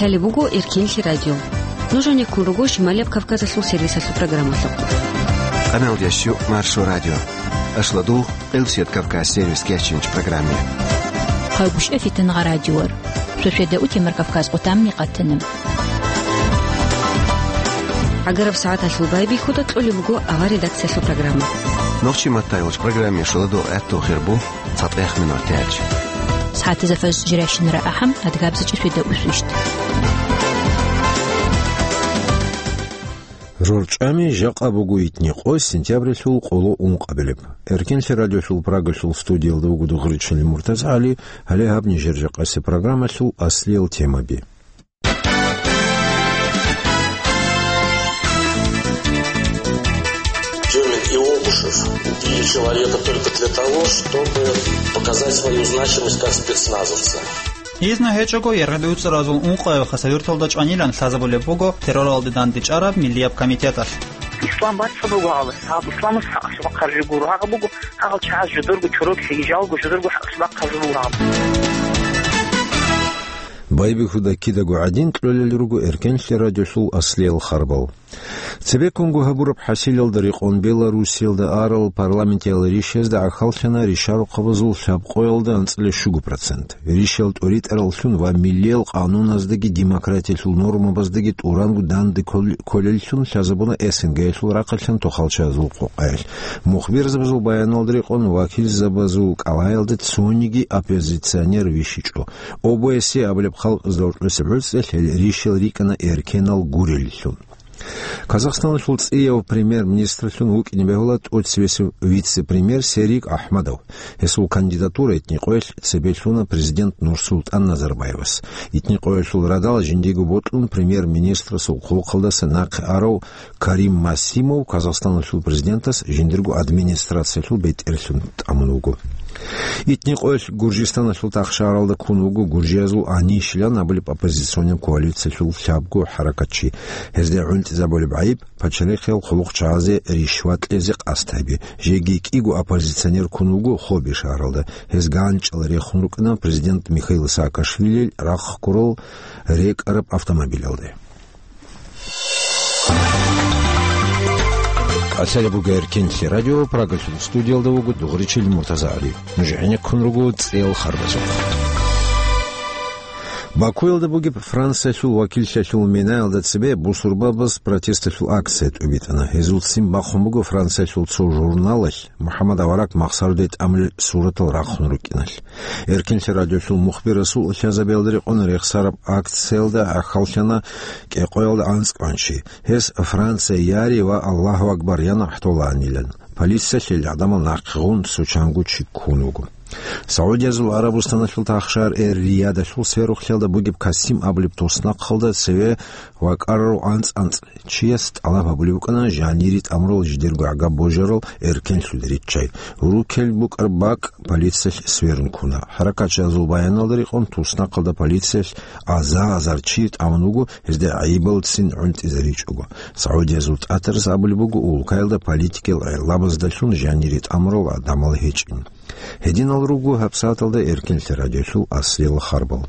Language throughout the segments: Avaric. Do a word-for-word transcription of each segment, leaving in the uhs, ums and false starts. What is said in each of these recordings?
Гьале буго Эркенлъи радио. Нуж гьанеккун руго Шималияб Кавказалъул сервисалъул программалъухъ. Къаналдящу Маршо радио. Ашладугъ Къилсият Кавказ сервис кечинч программе. Хъайгуща фитангъа радиор. Шошеда утемар Кавказ къутамни къатана. Агараб сагӀаталъул байбихьуда кьолеб буго авар редакциялъул программа. Нохчи маттайолч программе шуладо гӀатту хирбу. ЦатӀех минутач. СагӀатазда фажр жирайщинара ахӀам, адгабзачӀи светда усвищт. РорчӀами жакъа буго итни къо сентябрилъул къоло ункъабилеб. Эркенлъи радиолъул Прагалъул студиялда вуго Дугъричил Муртазгьали, гьале гьаб нижер жакъасе программалъул аслиял темаби. Тюмин и Обушев убили человека только для того, чтобы показать свою значимость как спецназовца. Изна гьечӀого, Яргъи УцӀразул ункъояб хасавюрталда чӀванилан лъазабулеб буго терроралде дандечӀараб миллияб комитеталъ. Ислам бацӀцӀадуго гьалас, гьаб исламас хӀакъалъулахъ гьаржи гуро, гьагъа буго, гьагъал чагӀаз жодорго чорок хӀижалго, жодорго хӀакъалъулахъ гьаржулгъан. Байбихьуда кидаго гӀадин кьолел руго Эркенлъи радиолъул аслиял харбал. Цебеккунго гьабураб хӀасилалда рекъон Белоруссиялда арал парламентиял ришазда гӀахьаллъана ришарухъабазул лъабкъоялда анцӀила щуго процент. Ришал тӀоритӀараллъун ва миллиял къануназдаги демократиялъул нормабаздаги тӀуранго данде ккол-, кколеллъун лъазабуна СНГ-ялъул рахъалъан тохалчазул къокъаялъ. Мухбирзабазул баяналда рекъон вакилзабазул кӀалгӀаялда цониги оппозиционер вищичӀо. ОБСЕ абулеб халкъазда гьоркьосеб гӀуцӀралъ гьел ришал рикӀкӀана эркенал гуреллъун. Казахстаналъул цӀияв премьер-министрлъун вукӀине бегьула тӀоцебесев вице-премьер Серик Ахмадов. Гьесул кандидатура итни къоялъ цебе лъуна президент Нурсултан Назарбаевас. Итни къоялъул радал жиндиего бокьун премьер-министрасул хъулухъалдаса нахъе арав Карим Масимов Казахстаналъул президентас жиндирго администрациялъул бетӀерлъун тӀамун вуго. Итни къоялъ Гуржистаналъул тахшагьаралда ккун вуго гуржиязул Анишилан абулеб оппозиционный коалициялъул лъабго хӀаракатчи. Гьезда гӀунтӀизабулеб гӀайиб пачалихъиял хъулухъчагӀазе ришват кьезе къасд гьаби. Жеги кӀиго оппозиционер ккун вуго Хоби шагьаралда. Гьез ганчӀал рехун рукӀана президент Михаил Саакашвилил рахъ ккурал рекӀараб автомобилалде. Асари буго Эркенлъи радио, Прагалъул студиялда вуго Дугъричил Муртазагьали. Нуж гӀенеккун руго цӀел харбазухъ. Бакуялда бугеб Франциялъул вакиллъиялъул минаялда цебе бусурбабаз протесталъул акция тӀубитӀана. Гьезул ццин бахъун буго Франциялъул цо журналалъ МухӀаммад авараг махсарде тӀамулел суратал рахъун рукӀиналъ. Эркенлъи радиолъул мухбирасул лъазабиялда рекъон рехсараб акциялда гӀахьаллъана кӀикъоялда анцӀкӀван чи. Гьес Франция яри ва Аллагьу акбар ян ахӀдолаанилан. Полициялъ гьел гӀадамал нахъе гъун цо чанго чи ккун вуго. Саудиязул Арабустаналъул тахшар Эр-Риядалъул сверухълъиялда бугеб Касим абулеб туснахъалда цеве вакӀарарав анцӀ-анцӀ чияс тӀалаб гьабулеб букӀана жанире тӀамурал жидерго гӀагаб божарал эркенлъун риччай. Рукел букӀараб бакӀ полициялъ сверун ккуна. ХӀаракатчиязул баяналда рекъон, туснахъалда полициялъ азар-азар чи тӀамун вуго, гьезда гӀайибалцин гӀунтӀизаричӀого. Саудиязул тӀатарас абулеб буго улкаялда политикиял гӀелабаздалъун жанире тӀамурал гӀадамал гьечӀин. Гьединал руго гьабсагӀаталда Эркенлъи радиолъул аслиял харбал.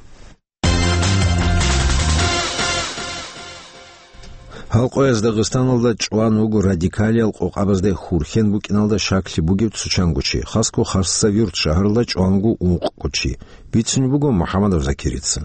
Гьалкъояз Дагъистаналда чӀван вуго радикалиял къокъабазда хурхен букӀиналда щаклъи бугев цо чанго чи, хасго Хасавюрт шагьаралда чӀван вуго ункъго чи, бицунеб буго МухӀаммадов Закирица.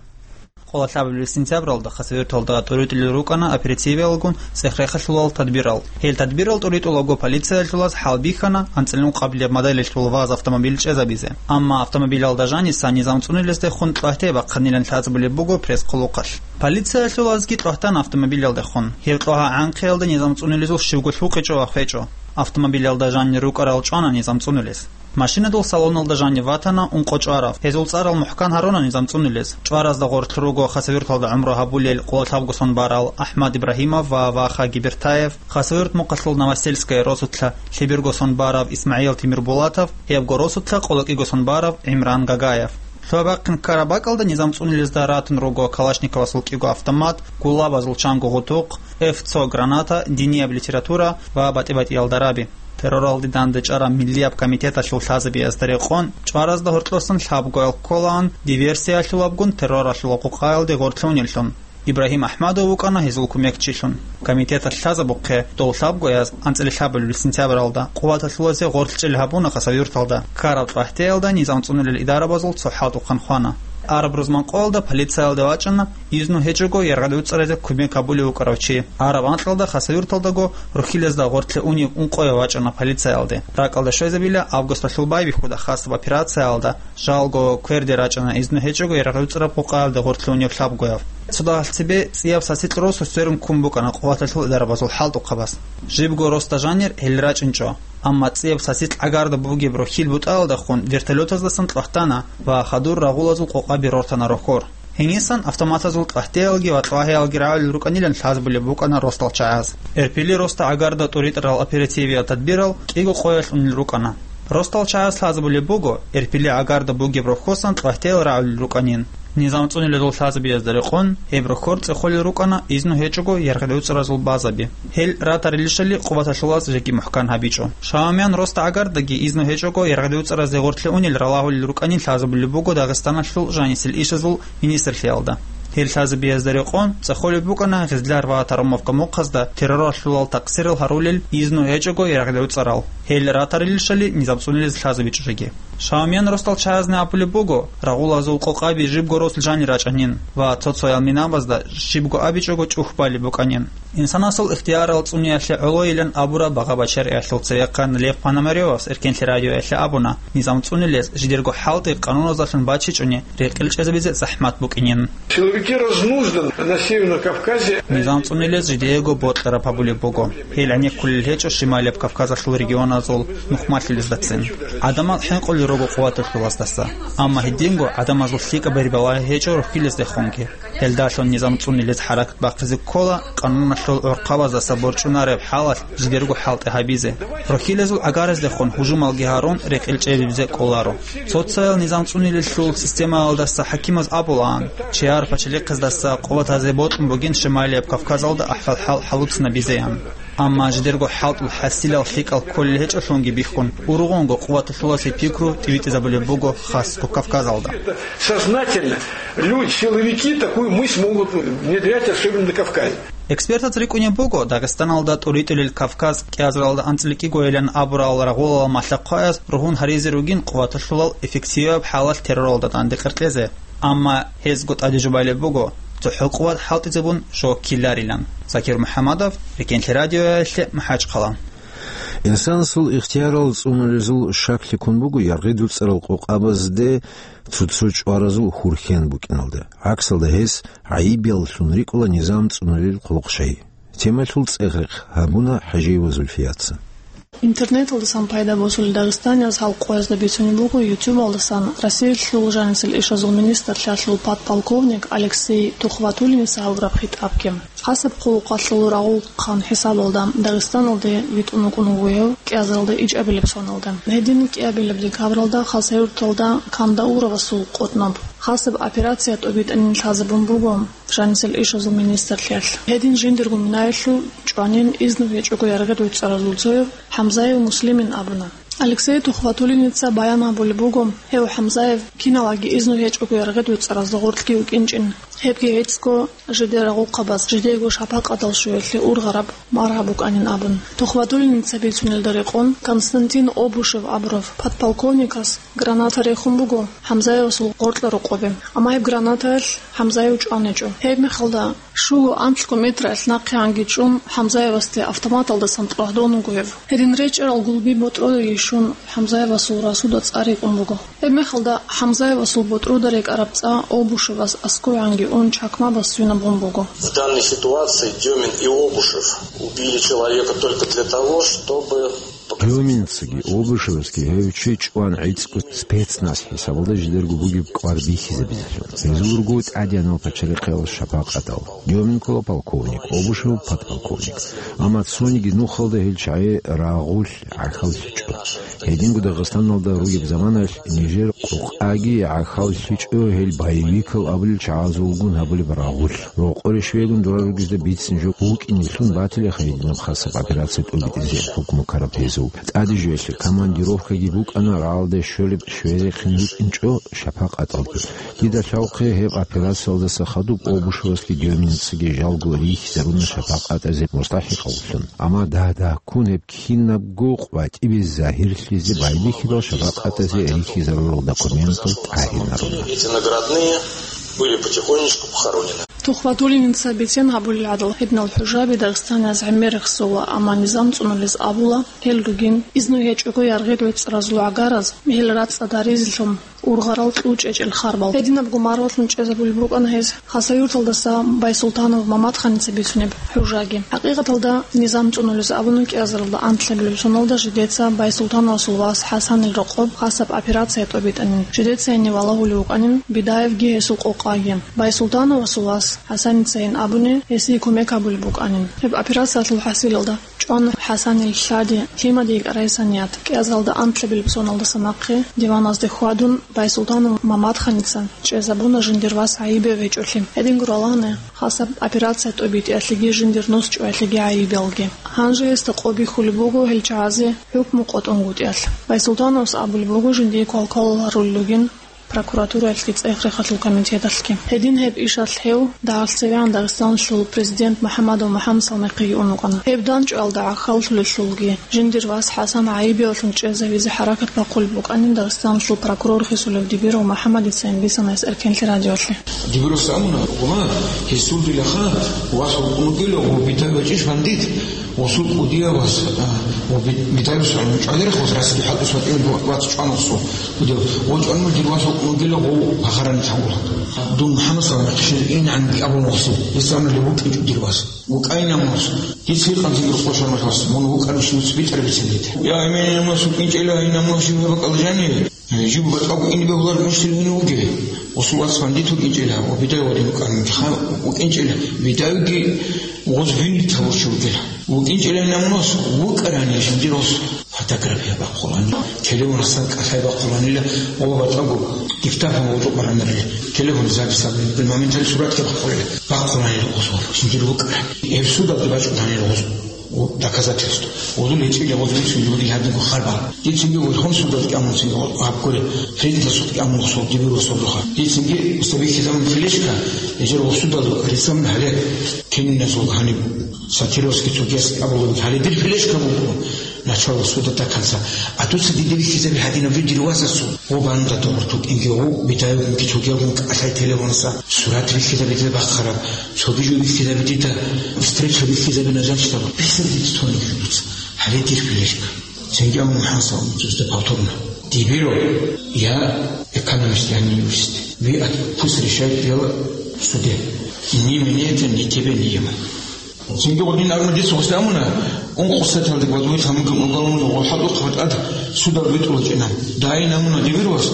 Къоло лъабабилеб сентябралда Хасавюрталда тӀуритӀулел рукӀана оперативиялгун цӀех-рехалъулал тадбирал. Гьел тадбирал тӀуритӀулаго полициялъулаз хӀалбихьана анцӀила ункъабилеб моделалъул ВАЗ автомобиль чӀезабизе. Амма автомобилалда жаниса низам цӀунулездехун кьвагьте бахъанилан лъазабулеб буго пресс-хъулухъалъ. Полициялъулазги кьвагьтана автомобилалдехун. Гьеб кьвагьа гӀанхъиялда низам цӀунулезул щибго лъукъичӀо ва хвечӀо. Автомобилалда жанир рукӀарал чӀвана низам цӀунулез. Машинадул салоналда жанив ватана ункъо чӀварав. Гьезул цӀарал мухӀкан гьаруна низам цӀунулез. ЧӀваразда гъорлъ руго Хасавюрталда гӀумру гьабулел къоло лъабго сон барал АхӀмад Ибрагьимов ва Ваха Гибертаев, Хасавюрт мухъалъул Новосельское росулъа лъеберго сон барав ИсмагӀил Тимирбулатов, гьебго росулъа къоло кӀиго сон барав ГӀимран Гагаев. Лъугьа-бахъин ккараб бакӀалда низам цӀунулезда ратун руго Калашниковасул кӀиго автомат, гулабазул чанго гъутухъ, эф цо граната, динияб литература ва батӀи-батӀиял дараби. Терроралде дандечӀараб миллияб комитеталъул лъазабиязда рекъон, чӀваразда гьоркьосан лъабгоял кколаан диверсиялъулабгун терроралъул къокъаялде гъорлъунеллъун. Ибрагьим Ахмадов вукӀана гьезул кумекчилъун. Комитеталъ лъазабухъе, дов лъабгояз, анцӀила лъабабилеб сентябралда, къуваталъулазе гъорлъ чӀел гьабуна Хасавюрталда. Ккараб ЦӀвагьтеялда низам цӀунулел идарабазул цо хӀалтӀухъан хвана. Араб рузман къоялда полициялде вачӀана изну гьечӀого яргъи гӀуцӀаразе кумек гьабулев вукӀарав чи. Араб анкьалда Хасавюрталдаго рохьилазда гъорлъе унев ункъояв вачӀана полициялде. РакӀалде щвезабила августалъул байбихьуда хасаб операциялда жалго кверде рачӀана изну гьечӀого яргъи гӀуцӀараб къокъаялде гъорлъе унев лъабгояв. Цо дагьалъ цебе цӀияб сасикь росу сверун ккун букӀана къуваталъул идарабазул хӀалтӀухъабаз. Жибго росда жанир гьел рачӀинчӀо. Амма цӀияб сасикь гӀагарда бугеб рохьил бутӀаялдахун вертолетаздасан кьвагьтана ва хадур рагъулазул къокъаби рортана рохьор. Гьенисан автоматазул кьвагьтеялги ва кьвагьиялги рагӀулел рукӀанилан лъазабулеб букӀана росдал чагӀаз. Эрпили росда гӀагарда тӀуритӀарал оперативиял тадбирал кӀиго къоялъ унел рукӀана. Росдал чагӀаз лъазабулеб буго, Эрпили гӀагарда бугеб рохьосан кьвагьтеял рагӀулел рукӀанин. Низам цӀунилезул лъазабиязда рекъон, гьеб рохьор цӀехолел рукӀана изну гьечӀого яргъи гӀуцӀаразул базаби. Гьел ратарилищали къуваталъулаз жеги мухӀкан гьабичӀо. Шаумиян росда гӀагардаги изну гьечӀого яргъи гӀуцӀаразе гъорлъе унел ралагьулел рукӀанин лъазабулеб буго Дагъистаналъул жанисел ишазул министрлъиялда. Гьел лъазабиязда рекъон цӀехолеб букӀана Гъизлар ва Тарамовка мухъазда терроралъулал такъсирал гьарулел изну гьечӀого яргъи гӀуцӀарал. Гьел ратарилищали низам цӀунилез лъазабичӀо жеги. Шаумиян росдал чагӀазни абулеб буго, рагъулазул къокъаби жибго росулъ жанир рачӀанин ва цо-цоял минабазда жибго абичӀого чӀухь балеб букӀанин. Инсанасул ихтиярал цӀуниялъе гӀолойилан абураб багъа-бачариялъул цевехъан Лев Пономарёвас Эркенлъи радиоялъе абуна, низам цӀунилез жидерго хӀалтӀи къануназдалъун бачичӀони рекъел чӀезабизе захӀмат букӀинин. Силовики разнужданы на Северном Кавказе. Низам цӀунилез жидеего бокьараб гьабулеб буго. Гьел гӀенеккулел гьечӀо Шималияб Кавказалъул регионазул нухмалъулездацин. ГӀадамал хӀинкъулел руго къуваталъулаздаса. Амма гьединго гӀадамазул лъикӀаб бербалагьи гьечӀо рохьилаздехунги. Гьелдалъун низам цӀунилез хӀаракат бахъизе ккола, къануналъул гӀурхъабаздаса борчӀунареб хӀалалъ жидерго хӀалтӀи гьабизе. Рохьилазул гӀагараздехун гьужумалги гьарун рекъел чӀезабизе кӀоларо. Цоцаял низам цӀунилелъул системаялдаса хӀакимаз абулаан, чияр пачалихъаздаса къуватазе бокьун бугин Шималияб Кавказалда ахӀвал-хӀал хӀалуцинабизеян. Амма жидерго хӀалтӀул хӀасилал лъикӀал кколел гьечӀолъунги бихьун, ургъунго къуваталъуласе пикру тӀибитӀизабулеб буго хасго Кавказалда. Сознательно люди, силовики, такую мысль могут внедрять, особенно на Кавказе. Экспертаз рикӀкӀунеб буго, Дагъистаналда тӀуритӀулел Кавказ кӀиазаралда анцӀила кӀигойилан абурал рагъулал малъа-хъваяз ругьун гьаризе ругин къуваталъулал эффективаб хӀалалъ терроралда данде къеркьезе. Амма гьезго тӀаде жубалеб буго, цохӀо къуват хӀалтӀизабун жо ккеларилан. Закир МухӀаммадов, Рекенлъи радиоялъе, МахӀачхъала. Инсанасул ихтиярал цӀунулезул шаклъи ккун буго яргъи дуцӀарал къокъабазде цо-цо чӀваразул хурхен букӀиналда. ГӀаксалда гьес гӀайибияллъун рикӀкӀуна низам цӀунулел хъулухъ щай. Темалъул цӀехрехъ гьабуна ХӀажиева Зульфияца. Интернеталдасан пайда босулел дагъистанияз гьал къоязда бицунеб буго ютубалдасан Россиялъул жанисел ишазул министрлъиялъул подполковник Алексей Тухватуллиница гьабураб хитӀабги. Хасаб хъулухъалъул рагъулхъан хӀисабалда Дагъистаналде витӀун вукӀун вугев кӀиазаралда ичӀабилеб соналда. Гьедин кӀиабилеб декабралда Хасавюрталда Кандауровасул къотӀноб хасаб операция тӀобитӀанин лъазабун буго жанисел ишазул министрлъиялъ. Гьедин жиндирго минаялъул чӀванин изну гьечӀого яргъи дуцӀаразул цояв ХӀамзаев Муслимин абуна. Алексей Тухватуллиница баян гьабулеб буго, гьев ХӀамзаев киналаги изну гьечӀого яргъи дуцӀаразда гъоркьги вукӀинчӀин. Гьебги гьецӀго жидер рагъухъабаз жидего шапакъатал щвеялъе ургъараб маргьаб букӀанин абун. Тухватуллиница бицунелда рекъон Константин Обушев абурав подполковникас граната рехун буго ХӀамзаевасул гъоркьа рокъобе. Амма гьеб гранатаялъ ХӀамзаев чӀваничӀо. Гьебмехалда щуго-анлъго метраялъ нахъегӀанги чӀун, ХӀамзаевасде автоматалдасан тӀвагьдун вуго гьев. Гьедин речӀчӀарал гулби ботӀродеги щун, ХӀамзаевасул расуда цӀар йикӀун буго. Гьебмехалда ХӀамзаевасул ботӀрода рекӀараб цӀа Обушевас аскӀовегӀанги ун чакмабас свинаб гъун буго. В данной ситуации Дёмин и Обушев убили человека только для того, чтобы Дёминцаги Обушевасги гьев чи чӀван гӀицӀго спецназ хӀисабалда жидерго бугеб кӀвар бихьизабизелъун. Гьезул руго тӀадегӀанал пачалихъал шапакъатал. Дёмин ккола полковник, Обушев подполковник. Амма цониги нухалда гьел чагӀи рагъулъ гӀахьаллъичӀо. Гьединго Дагъистаналда ругеб заманаялъ нижер къокъаги гӀахьаллъичӀо гьел боевикал абулел чагӀазулгун гьабулеб рагъулъ. Рокъоре щвегун дора ругезда бицин жо букӀинеблъун батилаха гьединаб хасаб операция тӀобитӀизе хӀукму ккараб гьез. ТӀаде жоялъе командировкаги букӀана рагӀалде щолеб щверихъин рукӀинчӀо шапакъаталги. Дида лъалхъе гьеб операциялдаса хадуб Обушевасги Дёминцаги жалго рихьизаруна шапакъатазе мустахӀикъавлъун. Амма дагь-дагьккун гьеб кинабго къватӀибе загьирлъизе байбихьидал шапакъатазе рихьизарурал документал тӀагьинаруна. Эти наградные были потихонечку похоронены. Тухватуллиница бицен гьабулел гӀадал гьединал хӀужаби Дагъистанияз гӀемер рехсола, амма низам цӀунулез абула, гьел ругин, изну гьечӀого яргъил вецӀразул гӀагараз, гьел рацӀцӀад гьаризелъун ургъарал кьучӀечӀел харбал. Гьединабго маргъулъун чӀезабулеб букӀана гьез Хасавюрталдаса Байсултанов Мамадханица бицунеб хӀужаги. ХӀакъикъаталда, низам цӀунулез абуна кӀиазаралда анлъабилеб соналда жидеца Байсултановасул вас ХӀасанил рокъоб хасаб операция тӀобитӀанин. Жидеца гьенив валагьулев вукӀанин Бидаевги гьесул къокъаги. Байсултановасул вас ХӀасаницайин абуни, гьесие кумек гьабулеб букӀанин. Гьеб операциялъул хӀасилалда чӀван ХӀасанил лъади, лъимаде йикӀарай саният. КӀиазаралда анлъабилеб соналдаса нахъе диваназде хьвадун, Байсултанов Мамадханица чӀезабуна жиндир вас гӀайибе гьечӀолъи. Гьединго ралагьана хасаб операция тӀобитӀиялъеги жиндир нус чӀваялъеги гӀайибалги. Гьанже гьесда къо бихьулеб буго гьел чагӀазе хӀукму къотӀунгутӀиялъ. Байсултановас абулеб буго жиндие квалквалал гьарулел ругин прокуратураялъги цӀех-рехалъул комитеталъги. Гьедин гьеб ишалъ гьев дагьалъ цевегӀан Дагъистаналъул президент МухӀаммадов МухӀаммад Салмихъиги ун вукӀана. Гьеб данчӀвалда гӀахьаллъулелъулги, жиндир вас ХӀасан гӀайибеялъун чӀезавизе хӀаракат бахъулеб букӀанин Дагъистаналъул прокурор хисулев Дибиров МухӀаммадицайин бицана гьес Эркенлъи радиолъе. Дибирос амуна, гъума, гьесул дилаха, вас вукӀун вугила, гъо, Бидаев вачӀищ бандит, гъосул кӀудияв вас, а, гъо, Би-, Бидаевас гьанив чӀвалерах вас, расиди хӀалтӀус ватӀине вац чӀван гъосул кӀудияв. Гъо, чӀван муж дир вас вукӀун вугила, гъо, пахарани чагӀула. Дун МухӀаммад салам хъишин ин гӀанги абун гъосул, гьес амрали вукӀинчӀо дир вас. ВукӀайин амун гъос. Дица гьикъан зиги рукъо шармалъ вас, мун вукӀарищ нуц битӀар бицин дида. Я, амин, амун гъос вукӀинчӀила, ин амун гъос жив бакӀал жаниве. Жиб батӀаго ин бегьулар муштил вуни вугев? Гъосул вас бандит вукӀинчӀила, ва Бидаев вадин вукӀанин ха вукӀинчӀила, Бидаевги гъоз винит гьабурчи вугила. ВукӀинчӀила ин амун гъос, вукӀарани жиндир гъос фотография бахъулани, телефон гьасан кӀалъай бахъуланила, ва батӀаго диктофон гъозукъ баранарила, телефон запись абулеб моментально суратги бахъуланила гъоз, жиндир вукӀарани. Гьеб судалги бачӀунанила гъоз. Доказательство. Гъозул гьечӀила гъозул цинги гьадинго харбал. Дицинги верховный судалда кӀамун цинги гьаб горе, президентасухъ кӀамун гъосул дибир ва сордоха. Дицинги уста бихьизабун флешка, гьечӀел гъосудалда рисамун гьале, кининазул гьаниб сатировский цогияс абулеб гьале дир флешка буго. Начало суда до конца. А дуца диде бихьизаби гьадинаб жо дир васасул. Гъо бануда догъурту кӀинги гъо, Бидаевгун, Кичугевгун кӀалъай телефонса сурат бихьизабида бахъараб, цоги жо бихьизабидида, встреча бихьизабина жанчтаб, бихьизабидида цониги дуца. Гьале дир флешка. Цинги амун хӀанса дуцда повторно. Дибиро, я экономист, я не юрист. Ви пусть решает дело в суде. Ни мне это, ни тебе, ни ему. Цинги гъодин абуна, дица гъосда амуна, ункъо саталда гвадвуй тамуги уголовный гъол хӀалухъ батӀад судал витӀулачӀина. Дайин амуна дибир вас,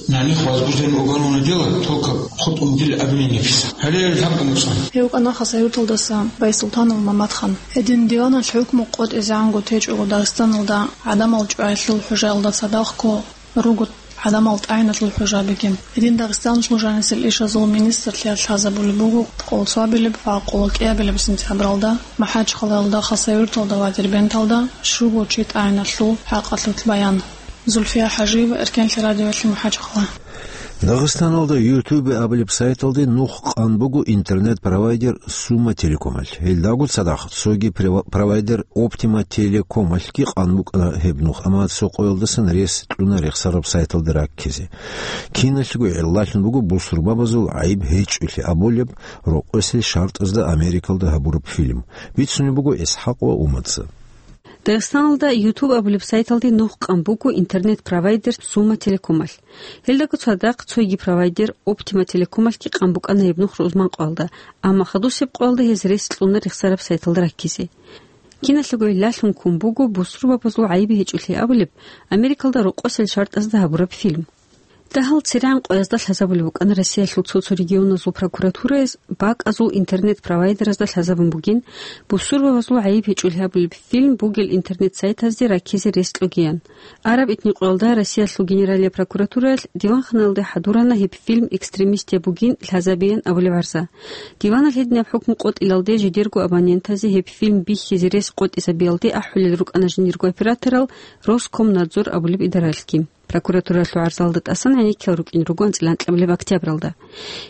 наних возбужден уголовное дело, только хутӀун дил обвинение писа. Гьале лъабго муцӀан. Гьев кӀана Хасавюрталдаса Байсултанов Мамадхан. Гьедин диваналъ хӀукму къотӀизегӀанго течӀого Дагъистаналда гӀадамал чӀваялъул хӀужаялда цадахъго руго гӀадамал тӀагӀиналъул хӀужабиги. Гьедин Дагъистаналъул жанисел ишазул министрлъиялъ лъазабулеб буго къолцвабилеб ва къолокӀиябилеб сентябралда МахӀачхъалаялда, Хасавюрталда ва Дербенталда щуго чи тӀагӀиналъул хӀакъалъулъ баян. Зульфия ХӀажиева, Эркенлъи радиоялъе, МахӀачхъала. Дагъистаналда Ютубе абулеб сайталде нух къан буго интернет-провайдер Сумма Телекомалъ. Гьелдаго цадахъ цоги права-, провайдер Оптима Телекомалъги къан букӀана гьеб нух, амма цо къоялдасан рес кьуна рехсараб сайталда раккизе. Киналъго гӀиллалъун буго бусурбабазул гӀайиб гьечӀолъи абулеб рокъосел шартӀазда Америкалда гьабураб фильм. Бицунеб буго ИсхӀакъ ва Умаца. Дагъистаналда Ютуб абулеб сайталде нух къан буго интернет-провайдер Сумма Телекомалъ. Гьелдаго цадахъ цоги провайдер Оптима Телекомалъги къан букӀана гьеб нух рузман къоялда, амма хадусеб къоялда гьез рес кьуна рехсараб сайталда раккизе. Киналъего гӀиллалъун ккун буго бусурбабазул гӀайиб гьечӀолъи абулеб Америкалда рокъосел шартӀазда гьабураб фильм. Дагьал церегӀан къоязда лъазабулеб букӀана Россиялъул цо-цо регионазул прокуратураяз бакӀазул интернет-провайдеразда лъазабун бугин, бусурбабазул гӀайиб гьечӀолъи абулеб фильм бугел интернет-сайтазде раккизе рес кьогиян. Араб этникъоялда Россиялъул Генералияб прокуратураялъ диванханаялде хӀадурана гьеб фильм экстремистияб бугин лъазабеян абулеб гӀарза. Диванал гьединаб хӀукму къотӀилалде жидерго абонентазе гьеб фильм бихьизе рес къотӀизабиялде ахӀулел рукӀана жиндирго операторал Роскомнадзор абулеб идаралъги. Прокуратуралъул гӀарзалда тӀасан гӀенеккел рукӀин руго анцӀила анкьабилеб октябралда.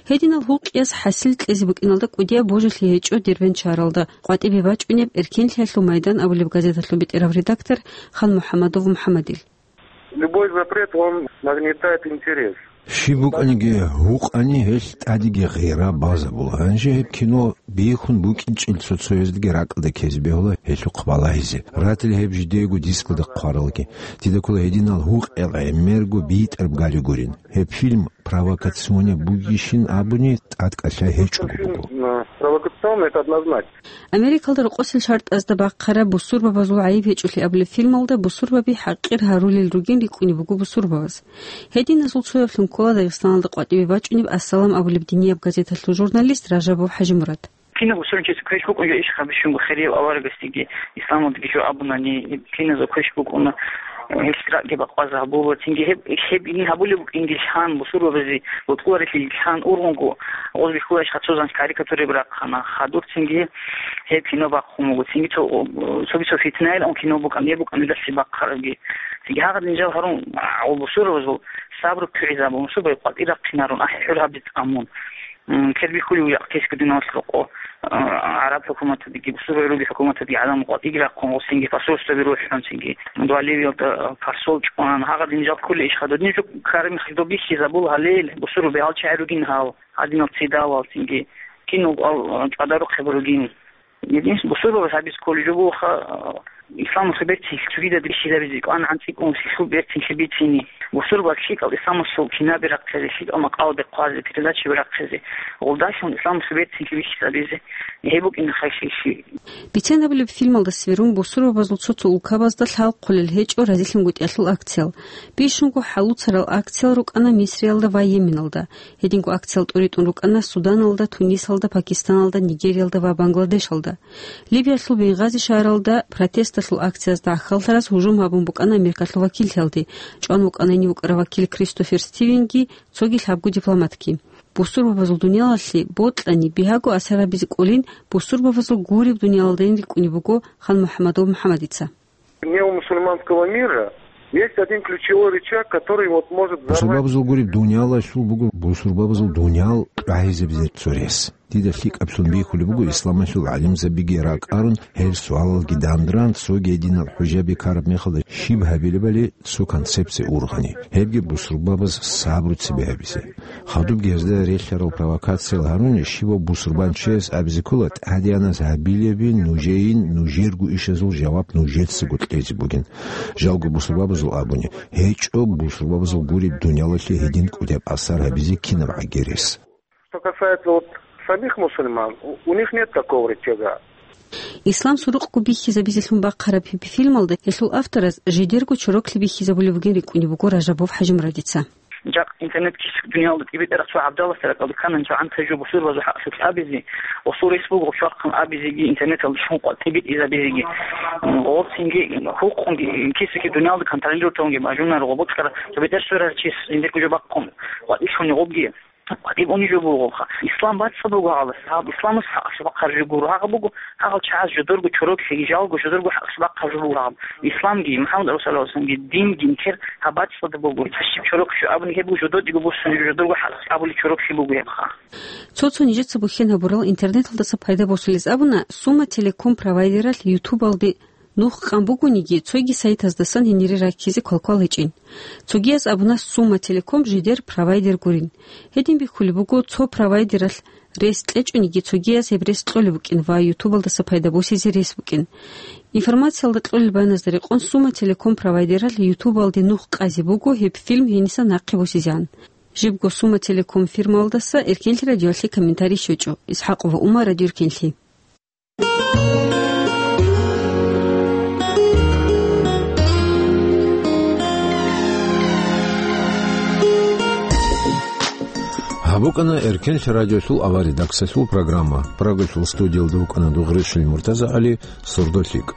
Гьединал гьукъиялъ хӀасил кьезе букӀиналда кӀудияб божилъи гьечӀо Дербент шагьаралда къватӀибе бачӀунеб «Эркенлъиялъул майдан» абулеб газеталъул бетӀерав редактор Ханмухьамадов МухӀамадил. Любой запрет, он нагнетает интерес. Щиб букӀаниги гьукъани, гьелъ тӀадеги гъира базабула. Гьанже гьеб кино бихьун букӀинчӀел цо-цояздеги ракӀалде ккезе бегьула гьелъухъ балагьизе. Ратила гьеб жидеего дискалда хъваралги. Дида ккола гьединал гьукъиял гӀемерго битӀараб гали гурин. Гьеб фильм провокационный бугищин абуни тӀадкӀалъай гьечӀого буго. Фильм, э, провокационный, это однозначно. Америкалда рокъосел шартӀазда бахъараб бусурбабазул гӀайиб гьечӀолъи абулеб фильмалда бусурбаби хӀакъир гьарулел ругин рикӀкӀунеб буго бусурбабаз. Гьединазул цояблъун ккола Дагъистаналда къватӀибе бачӀунеб «Ассалам» абулеб динияб газеталъул журналист Ражабов ХӀажимурад. Кинаб бусурбанчиясе квеш букӀун жо иш гьабищунго хирияб аварагасдеги, исламалдаги жо абунани, киназда квеш букӀуна, гьелъ ракӀги бакъвазаб гьабула, цинги гьеб, гьеб ин гьабулеб букӀинги лъан, бусурбабазе бокьуларелъи лъан ургъунго, гъоз бихьуларищ хацо занс карикатураб рахъана, хадур цинги гьеб кино бахъун буго, цинги цо, цоги цо фитнаялъун кино букӀан, гьеб букӀанидалъе бахъарабги. Цинги гьагъадин жал гьарун, а, гъо бусурбабазул сабру кигӀизабун, бусурбаби къватӀир рахъинарун, ахӀи хӀур гьабиз тӀамун. М, кер бихьулев якъ кесги дуналъ рокъо, а, гӀараб хӀукуматалдеги, бусурбаби руги хӀукуматалдеги гӀадамал къватӀиги рахъун, гъосинги посольствоби рухӀун, цинги Боливиялда, а, посол чӀван, гьагъадин жал кколей иш хадур. Нижер карами хадуб бихьизабул гьалел, бусурбаби гьалчагӀи ругин гьал, гьадинал цидалал, цинги кинал, а, чӀвадарухъе буругин. Гьединлъидал бусурбабаз гьабиз кколеб жо бугоха, исламалъул берцинлъи цогидаз бихьизабизе, кӀван-гӀан цӀикӀкӀун лъилъул берцинлъи бицине, бусурбабаз лъикӀал исламалъул кинаби рахъизе, лъикӀал макъалаби хъвазе, передачаби рахъизе, гъолдалъун исламалъул берцинлъи бихьизабизе, гьеб букӀина хайши-иши. Бицен абулеб, фильмалда сверун бусурбабазул цо-цо улкабазда лъалхъулел гьечӀо разилъунгутӀиялъул акциял. Бищунго хӀалуцарал акциял рукӀана Мисриялда ва Йеменалда. Гьединго акциял тӀуритӀун рукӀана Суданалда, Тунисалда, Пакистаналда, Нигериялда ва Бангладешалда. Либиялъул Бенгъази шагьаралда протесталъул акциязда гӀахьаллъараз гьужум гьабун букӀана Америкалъул вакиллъиялде, чӀван вукӀана гьенив вукӀарав вакил Кристофер Стивенги, цоги лъабго дипломатги. Бусурбабазул дуниялалъе бокьани, бигьаго асар гьабизе кӀолин, бусурбабазул гуреб дуниялалдайин рикӀкӀунеб буго Ханмухьамадов МухӀамадица. Неомусульманского мира есть один ключевой рычаг, который вот может взорвать. Бусурбабазул гуреб дуниялалъул буго бусурбабазул дуниял кьвагьизабизе цо рес. Дида лъикӀаблъун бихьулеб буго, исламалъул гӀалимзабиги ракӀарун, гьел суалалги дандран, цоги гьединал хӀужаби ккараб мехалда щиб гьабилебали цо концепция ургъани, гьебги бусурбабаз сабру цебе гьабизе. Хадубги гьезда релълъарал провокациял гьаруни, щивав бусурбанчияс абизе ккола, тӀадегӀанас гьабилебин нужейин, нужерго ишазул жаваб нужецаго кьезе бугин. Жалго бусурбабазул абуни, гьечӀо бусурбабазул гуреб дуниялалъе гьедин кӀудияб асар гьабизе кинаб гӀагерес. Что касается вот самих мусульман, у, у них нет такого рычага. Ислам сурукъго бихьизабизелъун бахъараб гьеб фильмалда гьелъул автораз жидерго чороклъи бихьизабулеб бугин рикӀкӀунеб буго Ражабов ХӀажимурадица. Жакъ интернет кис дуниялда кӀибитӀараб цо гӀабдаласда ракӀалде кканани цо гӀантайчӀо бусурбазул хӀакъалъулъ абизе, гъосул рес буго гъоб щвархъан абизеги, интернеталда щун къватӀибе тӀизабизеги. Гъоб цинги хӀукъунги кисаги дуниялда контролировать гьабунги бажунаро, гъоб бокьарав цо бетӀер сверарав чияс жиндирго жо бахъун къватӀилъуни гъобги. КъватӀиб унеб жо буго гъабха. Ислам бацӀцӀад буго гьаб. Гьаб исламас хӀакъалъулъ бахъараб жо гуро гьаб буго, гьагъал чагӀаз жодорго чорок лъеги жалго жодорго хӀакъалъулъ бахъараб жо буго гьаб. Исламги, МухӀаммад Расулаллагьги, динги нилъер гьаб бацӀцӀад буго. Гьаб щиб чорок лъеги абуни гьеб буго жододего босун жодорго хӀакъалъулъ абулеб чорок лъеги буго гьебха. Цо-цо нижеца бухьен гьабурал интернеталдаса пайда босулез абуна, Сума Телеком провайдералъ ютубалде нух къан бугониги, цоги сайтаздасан гьенире раккизе квалквал гьечӀин. Цогияз абуна, Сума Телеком жидер провайдер гурин. Гьедин бихьулеб буго, цо провайдералъ рес кьечӀониги, цогияз гьеб рес кьолеб букӀин ва ютубалдаса пайда босизе рес букӀин. Информациялда кьолел баяназда рекъон, Сума Телеком провайдералъ ютубалде нух къазе буго гьеб фильм гьениса нахъе босизегӀан. Жибго Сума Телеком фирмаялдаса Эркенлъи радиоялъе комментарий щвечӀо. Исхакъова Умар, Радио Эркенлъи. Гьаб букӀана Эркенлъи радиолъул авария редакциялъул программа. Прагалъул студиялда вукӀана Дугъришил МуртазагӀали, сордо лъикӀ.